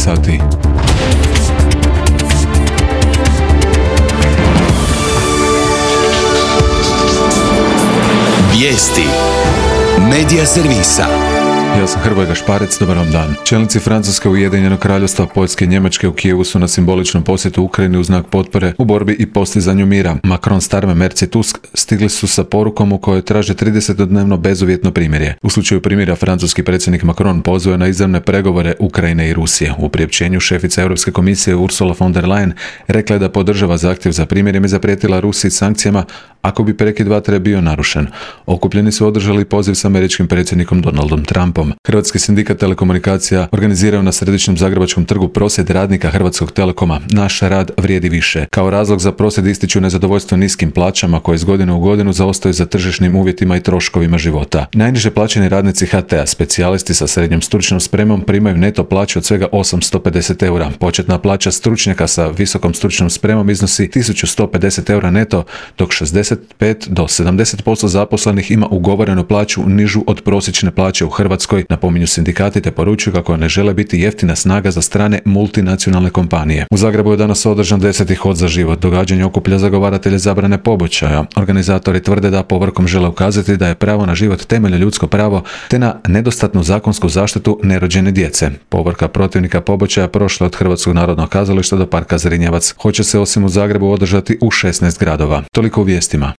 sati. Vijesti Medija servisa. Ja sam Hrvoje Gašparec, dobar vam dan. Čelnici Francuske, Ujedinjenog Kraljevstva, Poljske i Njemačke u Kijevu su na simboličnom posjetu Ukrajini u znak potpore u borbi i postizanju mira. Macron, Starmer, Merz i Tusk stigli su sa porukom u kojoj traže 30-dnevno bezuvjetno primirje. U slučaju primjera francuski predsjednik Macron pozvao je na izravne pregovore Ukrajine i Rusije. U priopćenju šefica Europske komisije Ursula von der Leyen rekla je da podržava zahtjev za primirjem i zaprijetila Rusiji sankcijama ako bi prekid vatre bio narušen. Okupljeni su održali poziv s američkim predsjednikom Donaldom Trumpom. Hrvatski sindikat telekomunikacija organizirao na središnjem Zagrebačkom trgu prosvjed radnika Hrvatskog Telekoma "Naš rad vrijedi više". Kao razlog za prosvjed ističu nezadovoljstvo niskim plaćama koje iz godine u godinu zaostaju za tržišnim uvjetima i troškovima života. Najniže plaćeni radnici HT-a, specijalisti sa srednjom stručnom spremom, primaju neto plaću od svega 850 eura. Početna plaća stručnjaka sa visokom stručnom spremom iznosi 1150 eura neto, dok 65 do 70% zaposlenih ima ugovorenu plaću nižu od prosječne plaće u Hrvatskoj, napominju sindikati, te poručuju kako ne žele biti jeftina snaga za strane multinacionalne kompanije. U Zagrebu je danas održan 10. hod za život. Događanje okuplja zagovaratelje zabrane pobačaja. Organizatori tvrde da povorkom žele ukazati da je pravo na život temeljno ljudsko pravo, te na nedostatnu zakonsku zaštitu nerođene djece. Povorka protivnika pobačaja prošla od Hrvatskog narodnog kazališta do parka Zrinjevac. Hoće se osim u Zagrebu održati u 16 gradova. Toliko u vijestima.